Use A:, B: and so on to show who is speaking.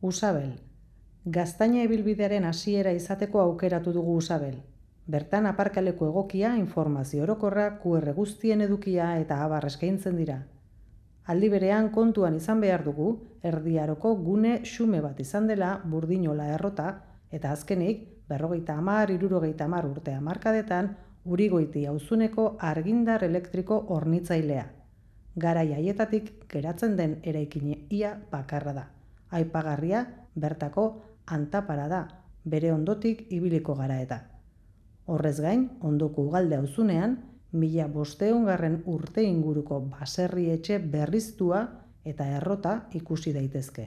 A: Usabel. Gaztaina ibilbidearen hasiera izateko aukeratu dugu Usabel. Bertan aparkaleku egokia, informazio orokorra, QR guztien edukia eta abar eskaintzen dira. Aldi berean kontuan izan behar dugu, erdiaroko gune xume bat izan dela Burdinola errota, eta azkenik, 50-60 urte hamarkadetan, Urigoiti auzuneko argindar elektriko hornitzailea. Garai haietatik geratzen den eraikina ia bakarra da. Aipagarria bertako Antapara da, bere ondotik ibiliko gara eta. Horrez gain, ondoko Ugalde auzunean, 1500 urte inguruko baserri etxe berriztua eta errota ikusi daitezke.